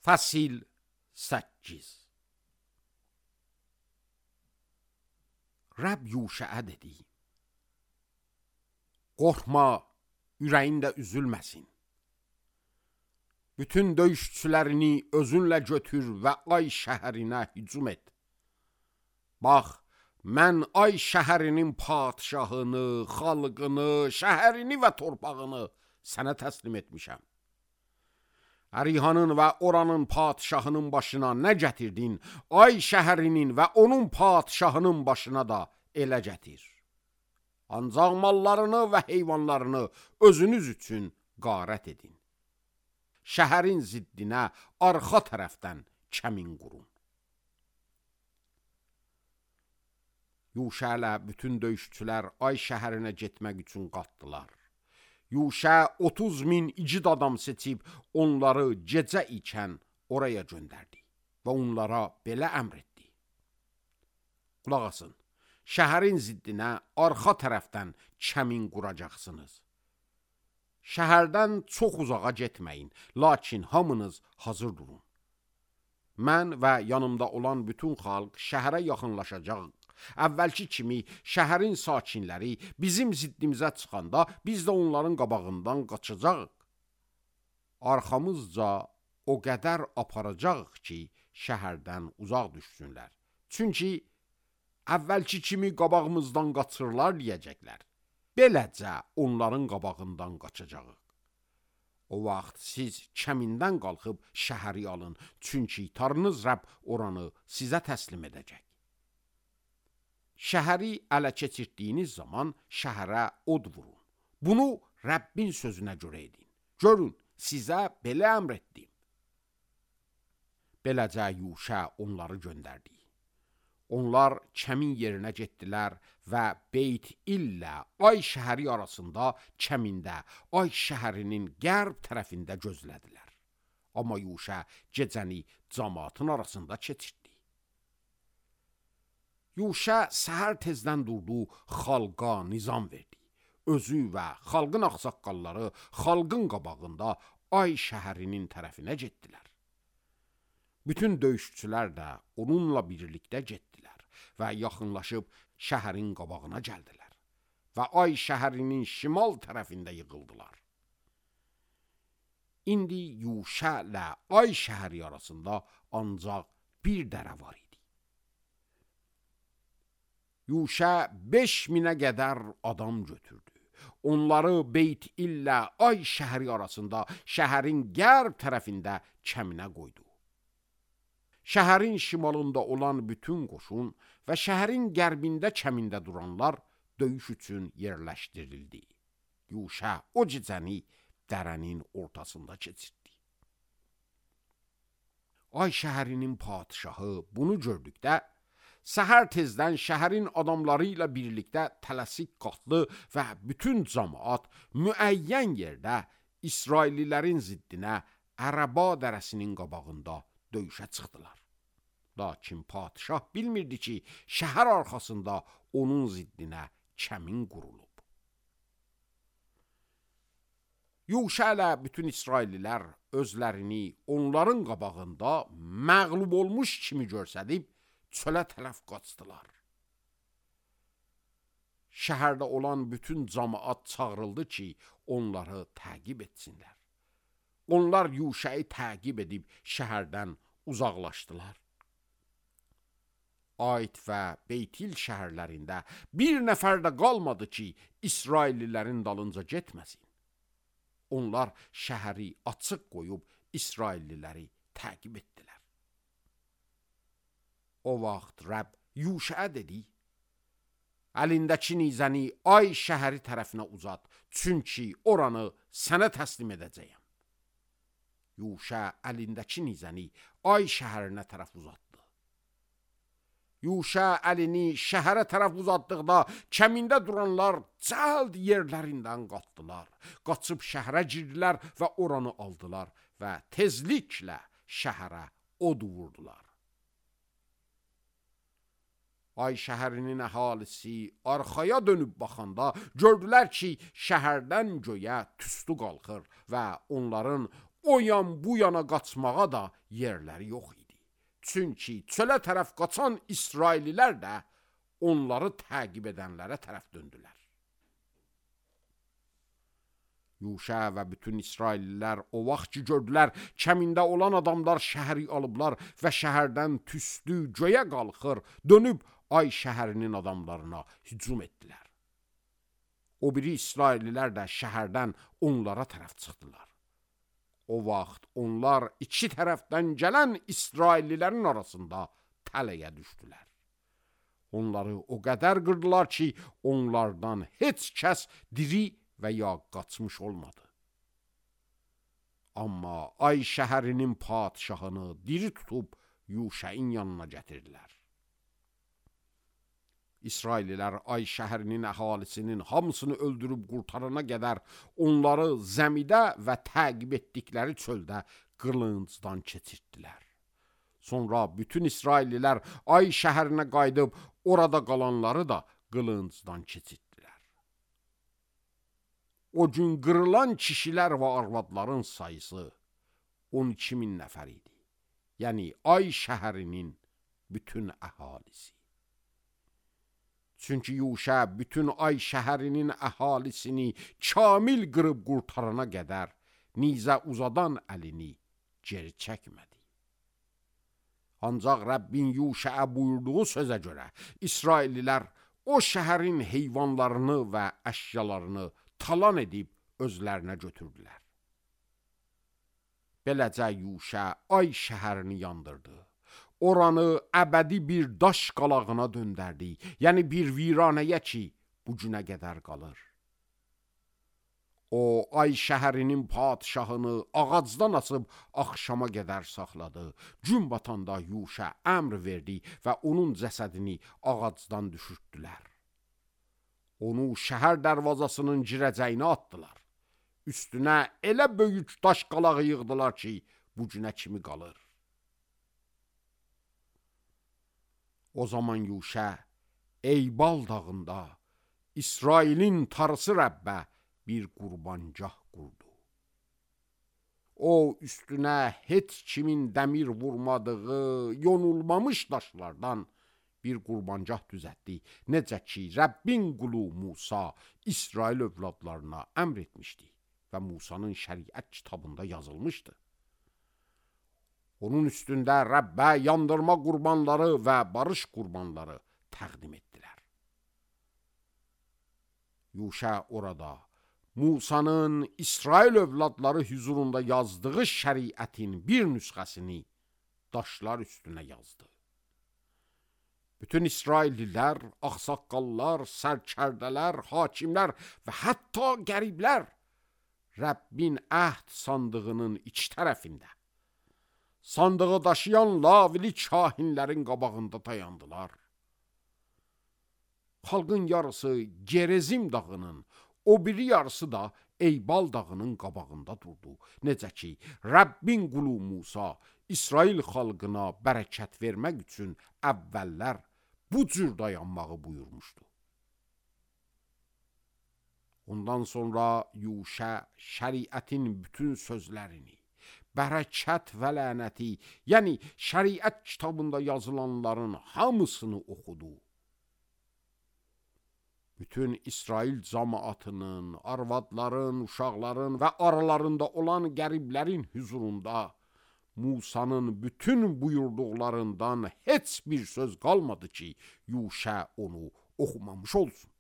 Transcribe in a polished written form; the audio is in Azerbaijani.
Fəsil 8. Rəbb Yuşəə dedi: qorxma, ürəyin də üzülməsin. Bütün döyüşçülərini özünlə götür və Ay şəhərinə hücum et. Bax, mən Ay şəhərinin padşahını, xalqını, şəhərini və torpağını sənə təslim etmişəm. Ərihanın və oranın padşahının başına nə gətirdin, Ay şəhərinin və onun padşahının başına da elə gətir. Ancaq mallarını və heyvanlarını özünüz üçün qarət edin. Şəhərin ziddinə arxa tərəfdən kəmin qurun. Yuşə ilə bütün döyüşçülər Ay şəhərinə getmək üçün qalxdılar. Yuşə 30.000 igid adam seçib onları gecə ikən oraya göndərdi və onlara belə əmr etdi: qulaq asın, şəhərin ziddinə arxa tərəfdən kəmin quracaqsınız. Şəhərdən çox uzağa getməyin, lakin hamınız hazır durun. Mən və yanımda olan bütün xalq şəhərə yaxınlaşacaq. Əvvəlki kimi şəhərin sakinləri bizim ziddimizə çıxanda biz də onların qabağından qaçacağıq. Arxamızca o qədər aparacağıq ki, şəhərdən uzaq düşsünlər. Çünki əvvəlki kimi qabağımızdan qaçırlar deyəcəklər. Beləcə onların qabağından qaçacağıq. O vaxt siz kəmindən qalxıb şəhəri alın, çünki Tanrınız Rəbb oranı sizə təslim edəcək. Şəhəri ələ keçirdiyiniz zaman şəhərə od vurun. Bunu Rəbbin sözünə görə edin. Görün, sizə belə əmr etdim. Beləcə Yuşə onları göndərdi. Onlar kəmin yerinə getdilər və Beyt-İl ilə Ay şəhəri arasında kəmində Ay şəhərinin qərb tərəfində gözlədilər. Amma Yuşə gecəni cəmaatın arasında keçirdi. Yuşə səhər tezdən durdu, xalqa nizam verdi. Özü və xalqın ağsaqqalları xalqın qabağında Ay şəhərinin tərəfinə getdilər. Bütün döyüşçülər də onunla birlikdə getdilər və yaxınlaşıb şəhərin qabağına gəldilər və Ay şəhərinin şimal tərəfində yığıldılar. İndi Yuşə ilə Ay şəhəri arasında ancaq bir dərə var idi. Yuşə 5.000-ə qədər adam götürdü. Onları Beyt-İl ilə Ay şəhəri arasında şəhərin qərb tərəfində kəminə qoydu. Şəhərin şimalında olan bütün qoşun və şəhərin qərbində kəmində duranlar döyüş üçün yerləşdirildi. Yuşə o gecəni dərənin ortasında keçirdi. Ay şəhərinin padşahı bunu gördükdə səhər tezdən şəhərin adamları ilə birlikdə tələsik qalxdı və bütün cəmaat müəyyən yerdə İsraillilərin ziddinə Ərəba dərəsinin qabağında döyüşə çıxdılar. Lakin padşah bilmirdi ki, şəhər arxasında onun ziddinə kəmin qurulub. Yuşə ilə bütün İsraillilər özlərini onların qabağında məğlub olmuş kimi görsədib çölə tərəf qaçdılar. Şəhərdə olan bütün cəmaat çağırıldı ki, onları təqib etsinlər. Onlar Yuşəyi təqib edib şəhərdən uzaqlaşdılar. Ayt və Beyt-İl şəhərlərində bir nəfər də qalmadı ki, İsraillilərin dalınca getməsin. Onlar şəhəri açıq qoyub İsrailliləri təqib etdilər. O vaxt Rəbb Yuşəyə dedi: əlindəki nizəni Ay şəhəri tərəfinə uzat, çünki oranı sənə təslim edəcəyəm. Yuşə əlindəki nizəni Ay şəhərinə tərəf uzatdı. Yuşə əlini şəhərə tərəf uzatdıqda kəmində duranlar cəld yerlərindən qalxdılar. Qaçıb şəhərə girdilər və oranı aldılar və tezliklə şəhərə od vurdular. Ay şəhərinin əhalisi arxaya dönüb baxanda gördülər ki, şəhərdən göyə tüstü qalxır və onların o yan bu yana qaçmağa da yerləri yox idi. Çünki çölə tərəf qaçan İsraillilər də onları təqib edənlərə tərəf döndülər. Yuşa və bütün İsraillilər o vaxt ki gördülər, kəmində olan adamlar şəhəri alıblar və şəhərdən tüstü göyə qalxır, dönüb Ay şəhərinin adamlarına hücum etdilər. O biri İsraillilər də şəhərdən onlara tərəf çıxdılar. O vaxt onlar iki tərəfdən gələn İsraillilərin arasında tələyə düşdülər. Onları o qədər qırdılar ki, onlardan heç kəs diri və ya qaçmış olmadı. Amma Ay şəhərinin padşahını diri tutub Yuşəin yanına gətirdilər. İsraillilər Ay şəhərinin əhalisinin hamısını öldürüb qurtarana qədər onları zəmidə və təqib etdikləri çöldə qılıncdan keçirtdilər. Sonra bütün İsraillilər Ay şəhərinə qayıdıb orada qalanları da qılıncdan keçirtdilər. O gün qırılan kişilər və arvadların sayısı 12.000 nəfər idi. Yəni Ay şəhərinin bütün əhalisi. Çünki Yuşa bütün Ay şəhərinin əhalisini kamil qırıb qurtarana qədər nizə uzadan əlini geri çəkmədi. Ancaq Rəbbin Yuşaya buyurduğu sözə görə İsraillilər o şəhərin heyvanlarını və əşyalarını talan edib özlərinə götürdülər. Beləcə Yuşa Ay şəhərini yandırdı. Oranı əbədi bir daş qalağına döndərdi, yəni bir viranəyə ki, bu günə qədər qalır. O, Ay şəhərinin padşahını ağacdan asıb axşama qədər saxladı. Gün batanda Yuşa əmr verdi və onun cəsədini ağacdan düşürtdülər. Onu şəhər dərvazasının girəcəyinə atdılar. Üstünə elə böyük daş qalağı yığdılar ki, bu günə kimi qalır. O zaman Yuşa Eybal dağında İsrailin tarısı Rəbbə bir qurbancah qurdu. O üstünə heç kimin dəmir vurmadığı yonulmamış daşlardan bir qurbancah düzəltdi. Necə ki Rəbbin qulu Musa İsrail övladlarına əmr etmişdi və Musanın şəriət kitabında yazılmışdı. Onun üstündə Rəbbə yandırma qurbanları və barış qurbanları təqdim etdilər. Yuşa orada Musanın İsrail övladları hüzurunda yazdığı şəriətin bir nüsxəsini daşlar üstünə yazdı. Bütün İsraillilər, ağsaqqallar, sərkərdələr, hakimlər və hətta qəriblər Rəbbin əhd sandığının iki tərəfində sandığı daşıyan lavili kahinlərin qabağında dayandılar. Xalqın yarısı Gerizim dağının, o biri yarısı da Eybal dağının qabağında durdu. Necə ki, Rəbbin qulu Musa İsrail xalqına bərəkət vermək üçün əvvəllər bu cür dayanmağı buyurmuşdu. Ondan sonra Yuşa şəriətin bütün sözlərini, bərəkət və lənəti, yəni şəriət kitabında yazılanların hamısını oxudu. Bütün İsrail cəmaatının, arvadların, uşaqların və aralarında olan qəriblərin hüzurunda Musanın bütün buyurduqlarından heç bir söz qalmadı ki, Yuşa onu oxumamış olsun.